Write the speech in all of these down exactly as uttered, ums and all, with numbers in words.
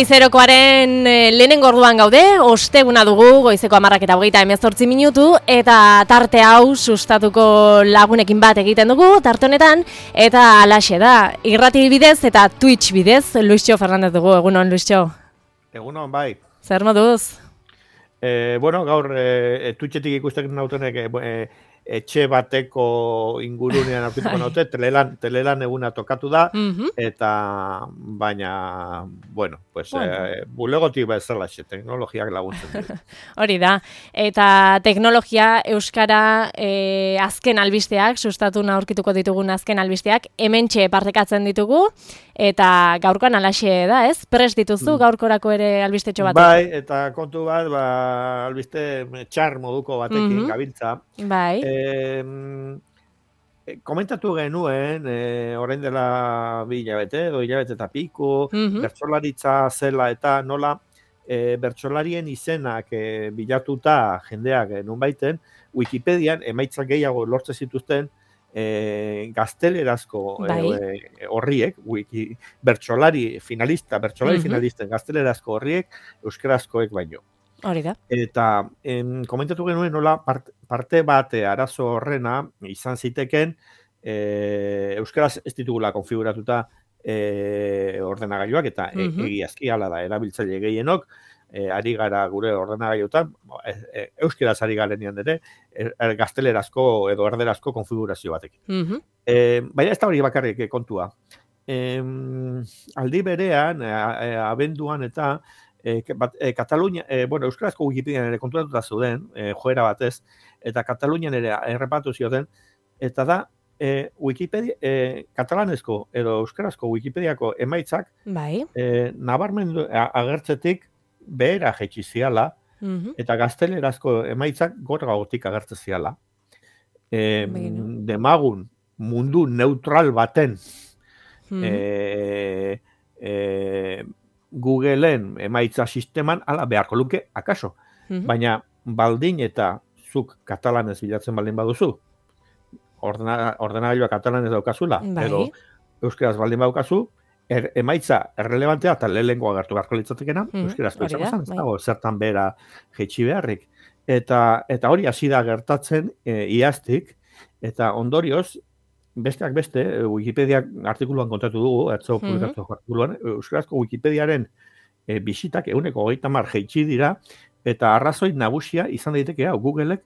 Goizerokoaren eh, lehenengo orduan gaude, osteguna dugu, goizeko hamarrak eta hogeita hemezortzi minutu, eta tarte hau sustatuko lagunekin bat egiten dugu, tarte honetan, eta alaxe da, irrati bidez eta Twitch bidez, Luisio Fernandez dugu, egunon, Luisio. Egunon, bai. Zer moduz? Eh, bueno, gaur eh, Twitchetik ikusten nautenek eh, etxe bateko ingurunean aurkituko naute, telelan, telelan eguna tokatu da, Mhm. eta baina, bueno, pues, Bueno. eh, bulegotik bezala, teknologiak laguntzen du. Hori da, eta teknologia euskara eh, azken albisteak, sustatu aurkituko ditugun azken albisteak, hementxe partekatzen ditugu, eta gaurkoan alaxe da, ez? Prest dituzu gaurkorako ere albistetxo bat? Bai, eta kontu bat, ba, albiste txar moduko batekin Mhm. gabiltza. Bai. Eh, komentatu genuen, eh, orain dela bi hilabete, edo hilabete eta piku, Mhm. bertsolaritza zela eta nola eh, bertsolarien izenak eh, bilatuta jendeak eh, nunbaiten, Wikipedian emaitzak gehiago lortze zituzten eh, gaztelerazko Bai. eh, horriek, wiki, bertsolari finalista, bertsolari Mhm. finalisten gaztelerazko horriek, euskarazkoek baino. Hori da. Eta em, komentatu genuen nola part, parte bate arazo horrena izan ziteken e, euskaraz ez ditugula konfiguratuta e, ordenagailuak eta e, Mhm. egiazki hala da erabiltzaile gehienok e, ari gara gure ordenagailuetan e, e, euskaraz ari garenean ere e, e, gaztelerazko edo erderazko konfigurazio batekin. Mhm. E, baina ez da hori bakarrik eh, kontua. Em, aldi berean, e, e, abenduan eta E, bat, e, Katalunia, e, bueno, euskarazko Wikipedian ere konturatuta zuden, e, joera batez, eta Katalunian ere errepatu zioten, eta da, e, Wikipedia, e, katalanezko edo euskarazko Wikipediako emaitzak, Bai. e, nabarmendu a- agertzetik behera jaitsi ziala, Mhm. eta gaztelerazko emaitzak gora gautik agertze ziala. E, Beginu. demagun mundu neutral baten, Mhm. e, e, Googleen emaitza sisteman ala beharko luke akaso. Mhm. Baina baldin eta zuk katalanez bilatzen baldin baduzu, ordena, ordenagailua katalanez daukazula, Bai. edo euskaraz baldin daukazu, er, emaitza errelevantea eta lehenengo agertu beharko litzatekena, Mhm, euskarazko hori izango da, zen, ez bai. dago zertan bera jaitsi beharrik. Eta, eta hori hasi da gertatzen e, iaztik, eta ondorioz, besteak beste, eh, Wikipediak artikuluan kontatu dugu, atzo Mhm. publikatu artikuluan, euskarazko Wikipediaren e, bisitak ehuneko hogeita hamar jaitsi dira, eta arrazoi nagusia izan daiteke hau, Googleek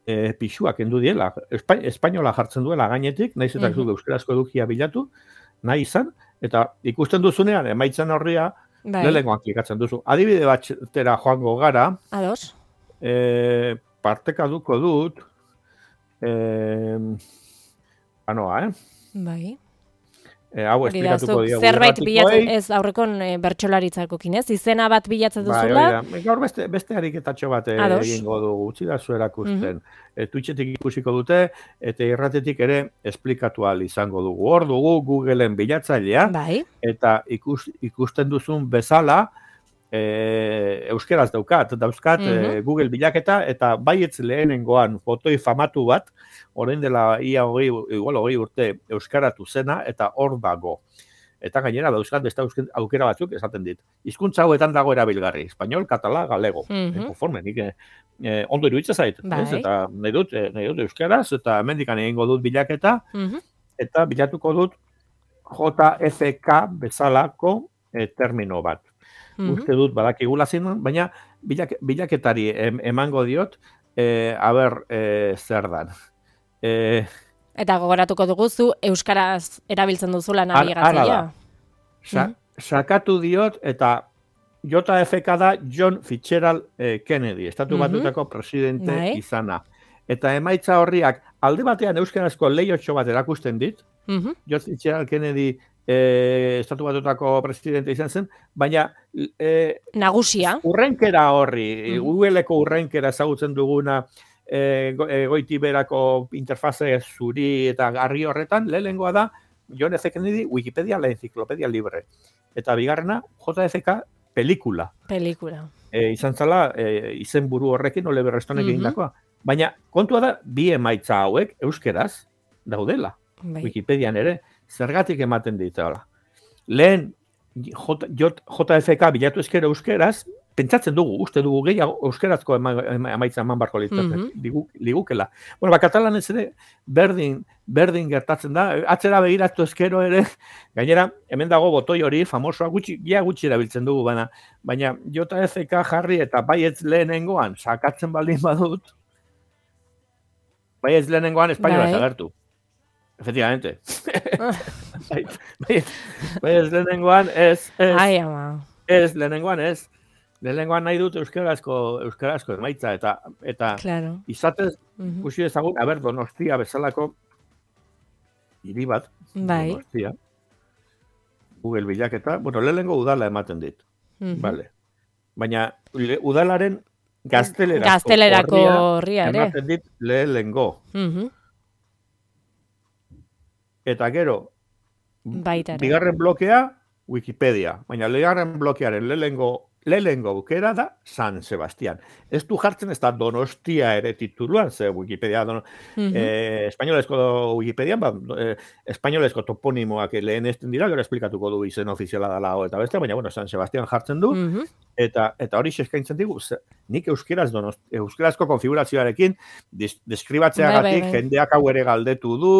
e, pixuak kendu diela, Espa, espainola jartzen duela gainetik, naiz eta Mhm. zuk euskarazko edukia bilatu, nahi izan, eta ikusten duzunean, emaitzen horria, Bai. lehenengoan klikatzen duzu. Adibide batera joango gara, Ados. e, partekaduko dut, e, anoa, eh? Bai. E, hau Hori da, esplikatuko zuk diagu zerbait bilatzen, irratikoei. ez aurrekon e, bertsolaritzakokin, ez? Izena bat bilatzen Bai, hori duzula. da. Gaur beste, beste ariketatxo bat eh, Ados. egingo dugu, utzi da zu erakusten. E, Twitchetik ikusiko dute, eta irratetik ere esplikatu ahal izango dugu. Hor dugu Googleen bilatzailea, Bai. eta ikus, ikusten duzun bezala, e, euskeraz daukat, dauzkat e, Google bilaketa, eta baietz lehenengoan fotoi famatu bat, orain dela ia hogei, igual hogei urte euskaratu zena, eta hor dago. Eta gainera dauzkat beste eusken- aukera batzuk esaten dit. Hizkuntza hauetan dago erabilgarri, espainol, katala, galego. Mhm. E, konforme, nik eh, eh, ondo iruditzen zait, Bai. ez? Eta nahi dut, eh, nahi dut euskaraz, eta hemendikan egingo dut bilaketa, Mhm. eta bilatuko dut J F K bezalako eh, termino bat. Mhm. Uste dut badakigula zen, baina bilak, bilaketari em, emango diot, eh, aber eh, zer dan. Eh, Eta gogoratuko dugu zu euskaraz erabiltzen duzula Hala- hala nabigatzailea. da. Sa, sakatu diot, eta J F K da John Fitzgerald eh, Kennedy, Estatu Mhm. Batuetako presidente Bai. izana. Eta emaitza horriak alde batean euskarazko lehiotxo bat erakusten dit, Mhm. John Fitzgerald Kennedy eh, Estatu Batuetako presidente izan zen, baina eh, Nagusia. urrenkera horri, Mhm. Googleko urrenkera ezagutzen duguna, e, go, e, goiti berako interfaze zuri eta garri horretan, lehenengoa da John F. Kennedy Wikipedia la enciclopedia libre. Eta bigarrena J F K pelikula. Pelikula. E, izan zala e, izen buru horrekin Oliver Stonek Mhm. egindakoa. Baina kontua da bi emaitza hauek euskeraz daudela. Bai. Wikipedian ere zergatik ematen dituela. Lehen J F K bilatu ezkero euskeraz, pentsatzen dugu, uste dugu gehiago euskerazko emaitza eman barko litzatzen, ligukela. Bueno, ba, katalanez ere, berdin, berdin gertatzen da, atzera begiratu ezkero ere, gainera, hemen dago botoi hori, famosoa, gutxi, ja gutxi erabiltzen dugu, baina, baina J F K jarri eta baietz lehenengoan, sakatzen baldin badut, baietz lehenengoan espainola zagertu. Efectivamente. Baietz lehenengoan ez, ez, Ai, ama. ez, lehenengoan ez. Lehenengoan nahi dut euskarazko euskarazko emaitza eta eta claro. Izatez ikusi dezagun, aber Donostia bezalako hiri bat, bai. Donostia. Google bilaketa, bueno, lehenengo udala ematen dit. Uh-huh. Vale. Baina udalaren gaztelerako, gaztelerako horria ere ematen dit lehenengo. Uh-huh. Eta gero, baita ere. Bigarren blokea Wikipedia, baina bigarren blokearen lehenengo lehenengo aukera da San Sebastián. Ez du jartzen ez da Donostia ere tituluan, ze Wikipedia, dono, uh-huh. eh, espainolezko Wikipedia, ba, eh, espainolezko toponimoak lehenesten dira, gero esplikatuko du izen ofiziala dela eta beste, baina bueno, San Sebastián jartzen du, uh-huh. eta eta hori eskaintzen digu, ze, nik euskeraz donost, euskarazko konfigurazioarekin des, deskribatzeagatik bai, bai. jendeak hau ere galdetu du,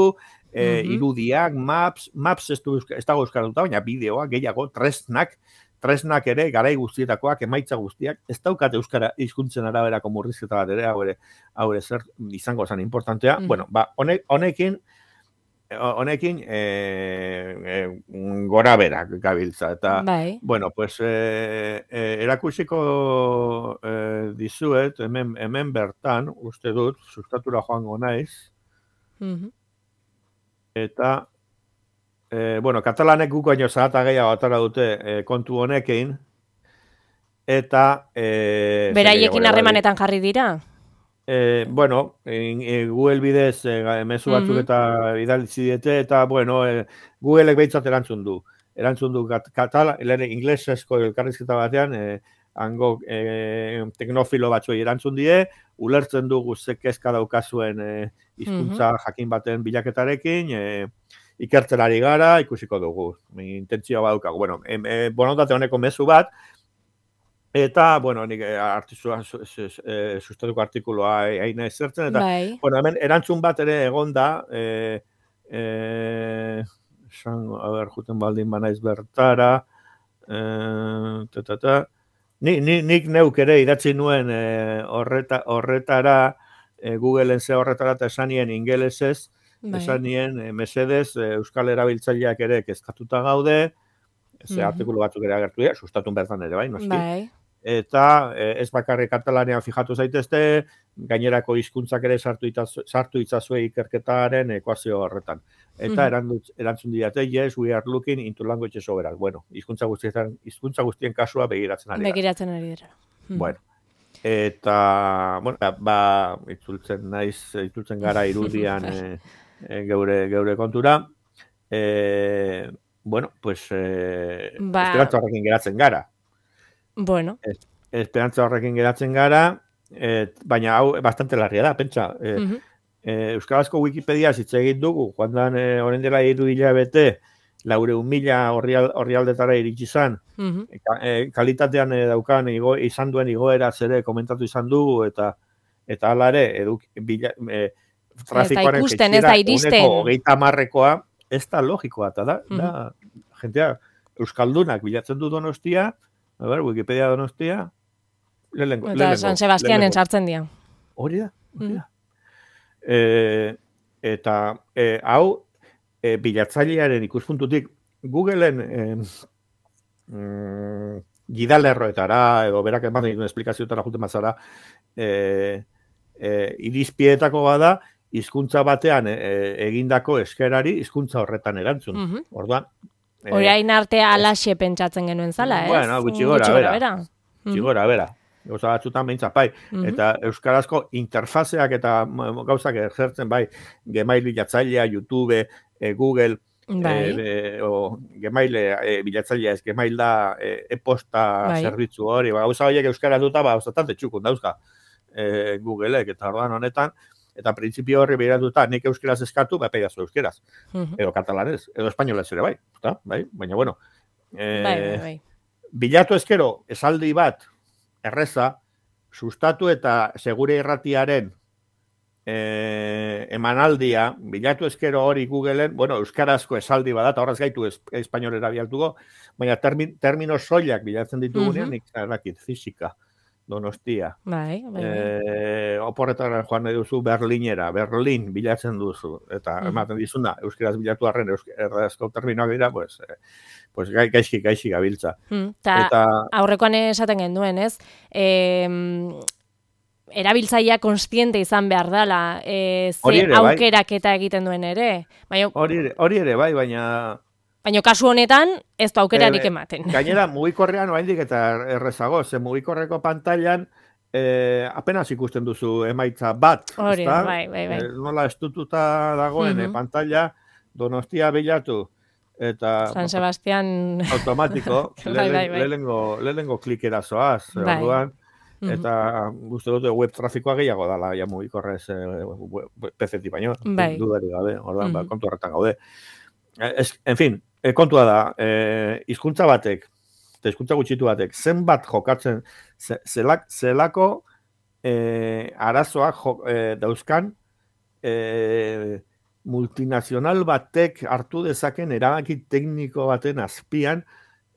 eh, uh-huh. irudiak, maps, maps ez du ez dago euskaratuta, baina bideoak, gehiago, tresnak, tresnak ere, garai guztietakoak, emaitza guztiak, ez daukate euskara hizkuntzen araberako murrizketa bat ere, hau ere, hau ere zer izango zen importantea. Mm. Bueno, ba, honek, honekin, honekin e, e, gora berak gabiltza. Eta, bai. bueno, pues, e, e, erakusiko e, dizuet, hemen, hemen bertan, uste dut, sustatura joango naiz, mm-hmm. eta, Eh, bueno, katalanek guk baino zahata gehiago atara dute eh, kontu honekin, eta... Eh, beraiekin harremanetan jarri dira? Eh, bueno, in, in, Google bidez eh, mezu batzuk eta mm-hmm. idalitzi diete, eta, bueno, eh, Googleek behitzat erantzun du. Erantzun du katala, inglesezko elkarrizketa batean, eh, hango eh, teknofilo batzuei erantzun die, ulertzen dugu ze kezka daukazuen eh, hizkuntza mm-hmm. jakin baten bilaketarekin, eh, ikertzen ari gara, ikusiko dugu. Intentzioa badukagu. Bueno, em, e, borontate honeko mezu bat, eta, bueno, nik artizua e, sustatuko artikuloa haina ezertzen, eta, bai. bueno, hemen erantzun bat ere egon da, e, e, san, a ber, juten baldin banaiz bertara, e, ta, ta, ta. Ni, ni, nik neuk ere idatzi nuen e, horreta, horretara, e, Googleen ze horretara eta esanien ingelesez, bai. Esan nien, e, mesedez, e, euskal erabiltzaileak ere kezkatuta gaude, ze mm-hmm. artikulu batzuk ere agertu dira, sustatun bertan ere, bai, noski. Bai. Eta e, ez bakarrik katalanean fijatu zaitezte, gainerako hizkuntzak ere sartu, itaz, sartu itzazue ikerketaren ekuazio horretan. Eta mm-hmm. eranduz, erantzun didate, yes, we are looking into language sovereign. Bueno, hizkuntza guztien, hizkuntza guztien kasua begiratzen ari dira. Begiratzen ari dira. Mm. Bueno. Eta, bueno, ba, itzultzen naiz, itzultzen gara irudian, e, E, geure, geure kontura, e, bueno, pues, e, ba... esperantza horrekin geratzen gara. Bueno. Es, esperantza horrekin geratzen gara, e, baina hau bastante larria da, pentsa. E, uh-huh. e, Euskarazko Wikipedia hitz egin dugu, joan e, orain dela hiru hilabete, laureun mila orrialdetara iritsi izan, uh-huh. e, kalitatean e, daukan igo, izan duen igoera ere komentatu izan dugu, eta eta hala ere, eduk, bila, e, trafikoaren ikusten, ez da iristen. Hogeita marrekoa, ez da logikoa, eta da, mm-hmm. da, jentea, Euskaldunak bilatzen du Donostia, a ber, Wikipedia Donostia, lehenengo. Eta San Sebastianen sartzen dira. Hori da, hori da. Mm-hmm. E, eta, e, hau, e, bilatzailearen ikuspuntutik, Googleen e, mm, gidalerroetara, edo berak eman egin esplikazioetara juten mazara, e, e, irizpietako bada, hizkuntza batean e, egindako eskerari hizkuntza horretan erantzun. Mm-hmm. Orduan, orain e, artea alaxe pentsatzen genuen zala, ez? Bueno, gutxi gora, bera. bera. Gutxi gora, bera. Gauza batzutan behintzat, bai. Mm-hmm. Eta euskarazko interfazeak eta gauzak ejertzen, bai, Gmail bilatzailea, YouTube, e, Google, bai. e, o, Gmail e, bilatzailea ez, Gmail da e, e-posta bai. Zerbitzu hori, ba, gauza horiek euskara duta, ba, ostatante txukun dauzka e, Googleek, eta orduan honetan, eta printzipio horri behiratuta, nik euskeraz eskatu, ba, peidazu euskeraz. Uh-huh. Edo katalanez, edo espainolez ere, bai. Eta, bai, baina, bueno, E, bai, bai, bai. Bilatu ezkero, esaldi bat, erreza, sustatu eta segure irratiaren e, emanaldia, bilatu ezkero hori Googleen, bueno, euskarazko esaldi bat, eta horraz gaitu es, espainolera bialtuko, baina termin, termino soilak bilatzen ditugunean, uh -huh. nik zarakit, fizika, Donostia. Bai, bai, bai. E, oporretara joan nahi duzu Berlinera, Berlin bilatzen duzu, eta uh-huh. ematen dizuna, euskaraz bilatu arren, euskarazko terminoak dira, pues, eh, pues gai, gaizki, gaizki gabiltza. Hmm, ta, eta aurrekoan esaten genduen, ez? E, erabiltzailea konstiente izan behar dela, e, ze ere, aukerak bai. Eta egiten duen ere. Baina, hori, hori ere, bai, baina... Baina kasu honetan, ez du aukerarik e, ematen. Gainera, mugikorrean oraindik eta errezago, ze mugikorreko pantailan eh, apenas ikusten duzu emaitza bat. Hori, bai, bai, bai. Eh, nola estututa dagoen, uh-huh. Pantaila, Donostia bilatu, eta... San Sebastian... Automatiko, bai, bai, bai. lehengo, lehengo klikera zoaz, bai. Orduan, eta guzti dute web trafikoa gehiago dala, ja mugikorrez eh, P C-tik baino, bai. Dudari gabe, orduan, uh-huh. ba, kontu horretan gaude. Ez, en fin, e, kontua da, e, hizkuntza batek, eta hizkuntza gutxitu batek, zenbat jokatzen, ze, zelak, zelako e, arazoak jo, e, dauzkan e, multinazional batek hartu dezaken erabaki tekniko baten azpian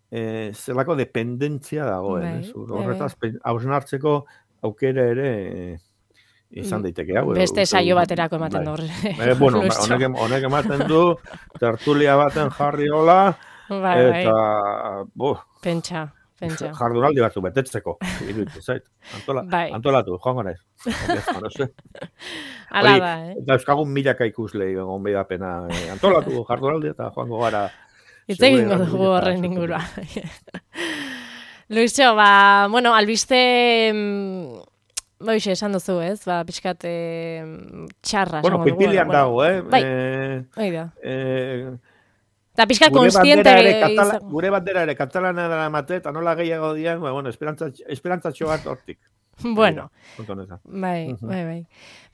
e, zelako dependentzia dagoen. Bai, horretaz, hausnartzeko aukera ere... E, izan daiteke hau. Beste saio baterako ematen du. Eh, bueno, honek, honek ematen du, tertulia baten jarri hola, bai, eta, bo, pentsa, pentsa. Jardunaldi batzu betetzeko, iruditzen zait. Antola, bai. Antolatu, joango naiz. Ala da, eh? Eta euskagun milaka ikusle, egon behi da pena. Eh, antolatu, jardunaldi, eta joango gara. Itzegin dugu horren ingurua. Luisio, ba, bueno, albiste... Boixe, esan duzu, ez? Ba, pixkat e, txarra. Bueno, pipilian dago, eh? Bai, eh, hoi da. Eh, eta pixkat konstiente... Katala, gure bandera ere katalana dara mate, eta nola gehiago dian, bueno, esperantzatxo bat hortik. Bueno, bai, bai, bai.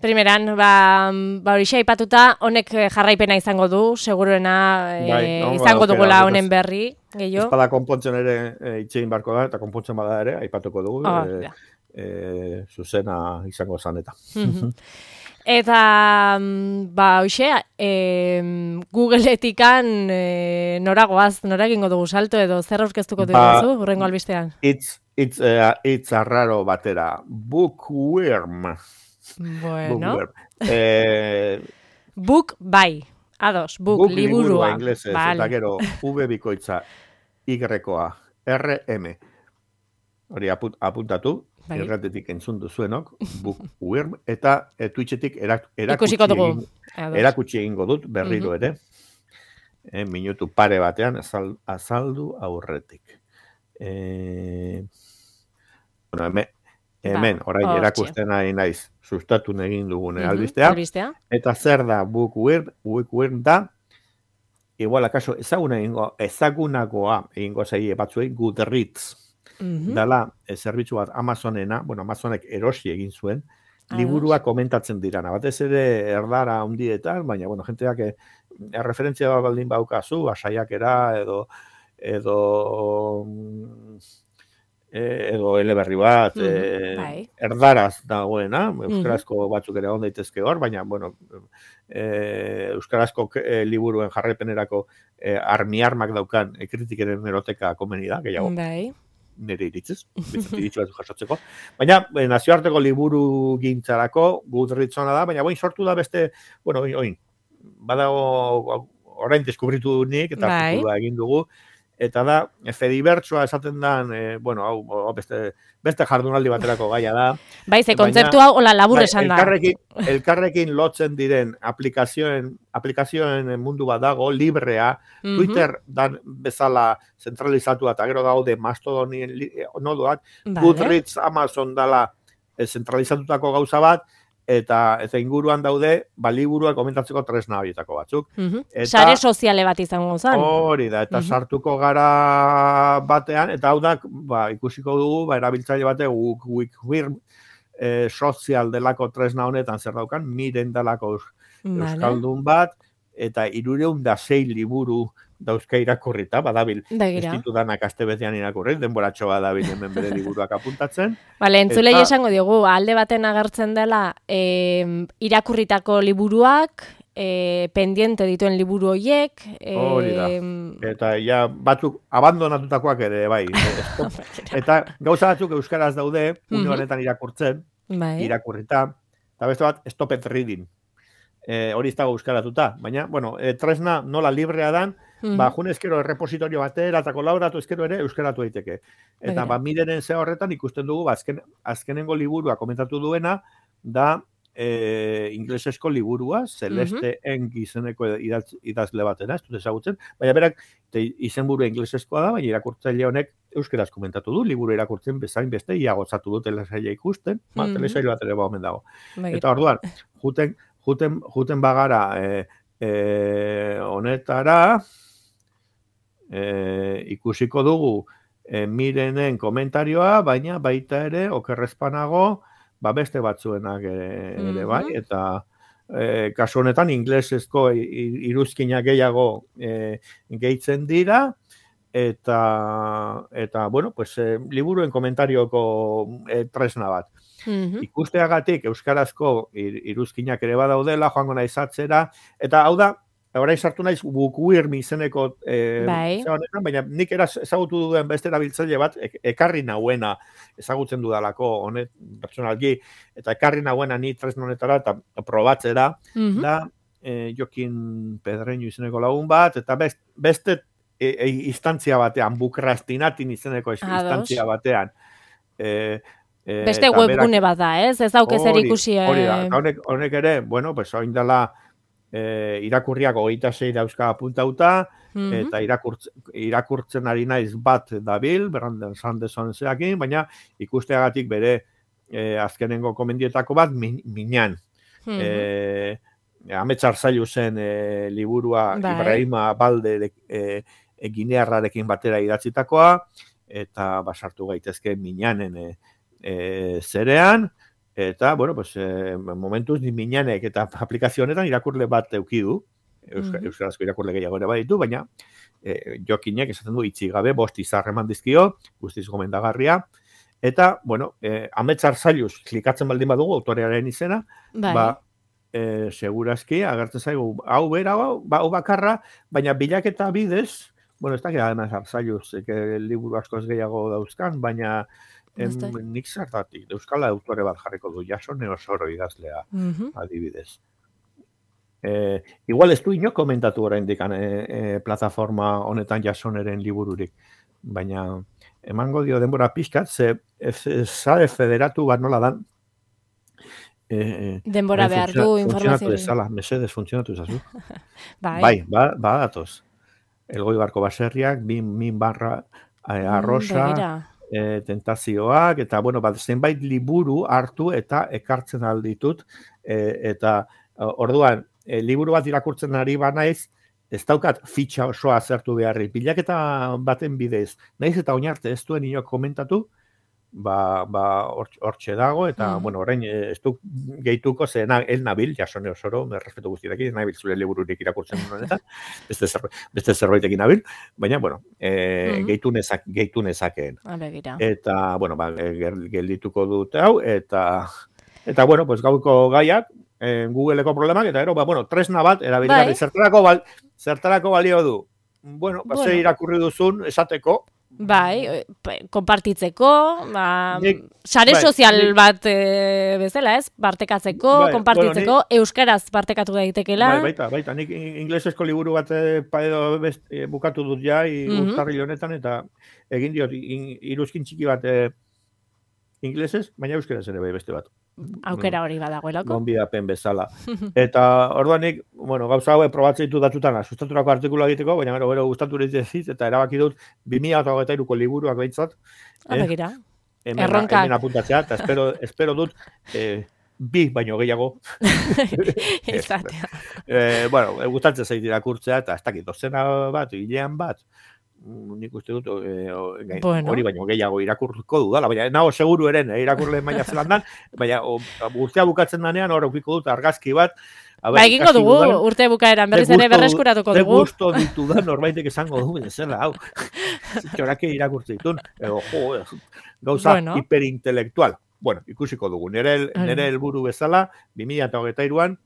Primeran, ba, ba horixe aipatuta, honek jarraipena izango du, seguruena e, bai, no, izango dugula honen berri, gehiago. Espada konpontzen ere e, itxein barko da, eta konpontzen bada ere, aipatuko dugu. Oh, e, E, zuzena izango zan eta. Eta, ba, hoxe, e, Googleetikan e, noragoaz, nora egingo dugu salto edo zer aurkeztuko dugu ba, zu, hurrengo albistean? Itz, itz, uh, itz arraro batera, bookworm. Bueno. Bookworm. E, book, bai, ados, book, book liburua. Liburua inglesez, vale. Eta gero, V bikoitza, Y-a, R M. Hori aput, apuntatu. Bai. Erratetik entzun duzuenok, bookworm, eta e, Twitchetik erak, erakutsi, egin, erakutsi egingo dut, berriro ere, e, minutu pare batean azal, azaldu aurretik. E, bueno, hemen, hemen ba, orain erakusten nahi naiz, sustatu egin dugune uh-huh, albistea, albistea, eta zer da bookworm, bookworm da, igual akaso ezaguna egingo, ezagunagoa egingo zaie batzuei Goodreads. Mm-hmm. Dala, e, zerbitzu bat Amazonena, bueno, Amazonek erosi egin zuen, ah, liburua komentatzen dirana. Batez ere erdara hundietan, baina, bueno, jenteak e, erreferentzia baldin baukazu, asaiakera edo edo e, edo eleberri bat, mm-hmm. e, erdaraz dagoena, euskarazko mm-hmm. batzuk ere on daitezke hor, baina, bueno, e, euskarazko e, liburuen jarraipenerako e, armi-armak daukan e, kritikeren eroteka komeni da, gehiago. Bai. Nire iritzez, iritz bat jasotzeko. Baina, nazioarteko liburu gintzarako, Goodreads ona da, baina boin sortu da beste, bueno, oin, badago orain deskubritu nik, eta artikulua egin dugu, eta da, Fedibertsoa esaten dan, e, bueno, hau, beste, beste jardunaldi baterako gaia da. Bai, ze kontzeptu hau, hola, labur esan da. Elkarrekin, elkarrekin lotzen diren aplikazioen, aplikazioen mundu bat dago, librea, mm-hmm. Twitter dan bezala zentralizatua, eta gero daude Mastodonien nodoak, vale. Goodreads, Amazon dala zentralizatutako gauza bat, eta eta inguruan daude, baliburuak komentatzeko tresna horietako batzuk. Mm-hmm. Eta, sare soziale bat izango zen. Hori da, eta mm-hmm. sartuko gara batean, eta hau da, ba, ikusiko dugu, ba, erabiltzaile batek, Wikwirm e, sozial delako tresna honetan zer daukan, miren delako euskaldun bat, eta irureun da sei liburu dauzka irakurrita, badabil, Begira. ez ditu danak aste betean irakurri, denboratxo badabil hemen bere liburuak apuntatzen. Bale, entzulei Eta- esango diogu, alde baten agertzen dela e, irakurritako liburuak, e, pendiente dituen liburu horiek, e, Hori da. Eta ja batzuk abandonatutakoak ere, bai. Stop. Eta gauza batzuk euskaraz daude, une Mhm. honetan irakurtzen, bai. irakurrita, eta beste bat, stop it reading. E, hori ez dago euskaratuta, baina, bueno, e, tresna nola librea dan, Mhm. ba, jun ezkero errepositorio batera, eta kolaboratu ezkero ere euskaratu daiteke. Eta Begira. ba, mideren ze horretan ikusten dugu, ba, azken, azkenengo liburua komentatu duena, da e, inglesesko liburua, Celeste Eng izeneko idaz, idazle batena, ez dut ezagutzen, baina berak te, izenburua ingleseskoa da, baina irakurtzaile honek euskeraz komentatu du, liburu irakurtzen bezain beste, ia gotzatu du telesaila ikusten, ba, Mhm. telesaila bat ere ba omen dago. Begira. Eta orduan, juten, juten, juten bagara e, e, honetara, e, ikusiko dugu e, Mirenen komentarioa, baina baita ere, okerrezpanago, ba beste batzuenak ere, ere bai, Mhm. eta e, kasu honetan inglesezko i- i- iruzkina gehiago e, gehitzen dira, eta, eta bueno, pues, e, liburuen komentarioko e, tresna bat. Mhm. Ikusteagatik euskarazko ir- iruzkinak ere badaudela, joango naiz atzera, eta hau da, orain sartu naiz Bookworm izeneko e, Bai. zera honetan, baina nik eraz ezagutu duen beste erabiltzaile bat, ek- ekarri nauena ezagutzen dudalako honet pertsonalki, eta ekarri nauena ni tresna honetara eta probatzera, Mhm. da e, Jokin Pedreño izeneko lagun bat, eta best, beste e, e, instantzia batean, Bukrastinatin izeneko is- Ados. instantzia batean, e, e, Beste eta webgune berak- bat da, ez? Ez dauke zer Hori- ikusi. Hori da, eh, eta honek, honek ere, bueno, pues orain dela e, irakurriak hogeita sei dauzka apuntauta, mhm. eta irakurtzen, irakurtzen ari naiz bat dabil, Brandon Sanderson zeakin, baina ikusteagatik bere e, azkenengo komendietako bat min, minan. Mhm. E, Ametsar zailu zen e, liburua Bai. Ibrahima Balde e, e, Ginearrarekin batera idatzitakoa, eta basartu gaitezke minanen e, e, zerean, eta, bueno, pues, e, momentuz ni minanek eta aplikazio honetan irakurle bat eukidu, Euska, Mhm. euskarazko irakurle gehiago ere baditu, baina e, Jokinek esaten du itxi gabe, bost izar eman dizkio, guztiz gomendagarria, eta, bueno, e, Ametsar zailuz klikatzen baldin badugu autorearen izena, Bai. ba, e, segurazki, agertzen zaigu, hau bera, hau, ba, hau bakarra, baina bilaketa bidez, bueno, ez da gara zailuz, e, liburu askoz gehiago dauzkan, baina em, Ez da. nik zertatik, euskal autore bat jarriko du, Jasone Osoro idazlea, Mhm. adibidez. E, igual ez du inok komentatu oraindik e, e, plataforma honetan Jasoneren libururik, baina emango dio denbora pixkat, ze ez- sare federatu bat nola dan, e, Denbora behar du Funtzionatu informazio. ezala, mesedez funtzionatu ezazu. Bai. Bai, ba, ba datoz. Elgoi barko baserriak, min, min barra eh, arrosa, Begira. eh, tentazioak, eta, bueno, bat, zenbait liburu hartu eta ekartzen alditut, eh, eta eh, orduan, eh, liburu bat irakurtzen ari banaiz, ez daukat fitxa osoa zertu beharri. Bilaketa baten bidez, naiz eta oinarte ez duen inok komentatu, ba, ba hortxe hortxe dago, eta, Mhm. bueno, orain eh, ez du gehituko, ze na, el nabil, Jasone Osoro, me respeto guztiekin, nabil zure libururik irakurtzen honetan, beste, zer, beste zerbaitekin nabil, baina, bueno, eh, Mhm. gehitu, nezak, gehitu nezakeen. Ah, begira. Eta, bueno, ba, gel- geldituko dute hau, eta, eta bueno, pues gauko gaiak, eh, Googleeko problemak, eta gero, ba, bueno, tresna bat, erabilgarri, Bai. zertarako, bal, zertarako balio du. Bueno, ba, Bueno. ze irakurri duzun, esateko, Bai, eh, pe- konpartitzeko, ba, Nik- sare bai, sozial nik- bat e, bezala, ez? Partekatzeko, Bai, konpartitzeko, euskaraz partekatu daitekela. bai, baita, baita, nik inglesesko liburu bat eh, pa edo best, eh, bukatu dut ja, i, Mhm. urtarril honetan, eta egin diot, in, iruzkin txiki bat eh, inglesez, baina euskeraz ere bai beste bat. Aukera hori badagoelako. Gonbidapen bezala. Eta orduan nik, bueno, gauza hauek probatzen ditu datutan, sustaturako artikula egiteko, baina gero, gero gustatu ez eta erabaki dut bi mila hogeita hiruko liburuak behintzat, Ah, begira. hemen, Erronkak. hemen apuntatzea, eta espero, espero dut eh, bi baino gehiago. Izatea. eh, bueno, gustatzen zait irakurtzea, eta ez dakit, dozena bat, hilean bat, mm, nik uste dut eh, o- gai- Bueno. hori baino gehiago irakurko dudala, baina nago seguru eren, eh, irakurle maila zelandan, baina o, urtea bukatzen danean hor aukiko dut argazki bat, Ba, egingo dugu, urte bukaeran berriz ere berreskuratuko dugu. Ze gusto ditudan norbaitek esango dugu, zela, hau. Zitxorake irakurtze ditun, edo, jo, gauza bueno. Hiperintelektual. Bueno, ikusiko dugu. Nere, nere helburu bezala, bi mila hogeita hiruan,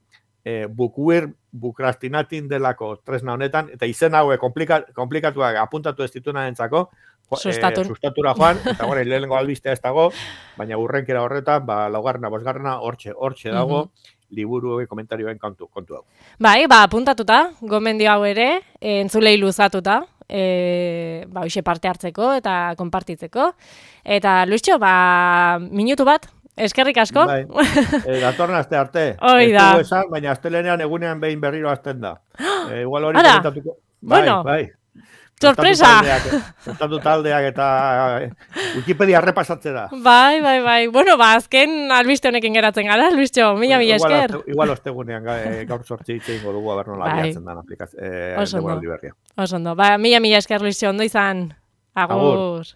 eh, bukuir bukrastinatin delako tresna honetan, eta izen haue komplika, komplikatuak apuntatu ez dituna entzako, Sustatu. Eh, sustatura joan, eta gore, lehenengo albistea ez dago, baina urrenkera horretan, ba, laugarrena, bosgarrena, hortxe, hortxe dago, mm -hmm. liburu komentarioen kontu, kontu hau. Bai, ba, apuntatuta, gomendio hau ere, e, entzulei luzatuta, e, ba, hoxe parte hartzeko eta konpartitzeko. Eta, Luistxo, ba, minutu bat, eskerrik asko. Bai, e, datorren aste arte. Hoi da. Ez esan, baina astelenean egunean behin berriro azten da. E, igual hori komentatuko. Bai, bueno. bai. Sorpresa! Zertatu taldeak eta Wikipedia repasatzera. Bai, bai, bai. Bueno, ba, azken albiste honekin geratzen gara, Luistxo, mila mila esker. Igual ostegunean gaur sortzi hitzein godugu, aber nola abiatzen dan aplikazio. Oso ondo. Oso ondo. Ba, mila mila esker, Luistxo, ondo izan. Agur.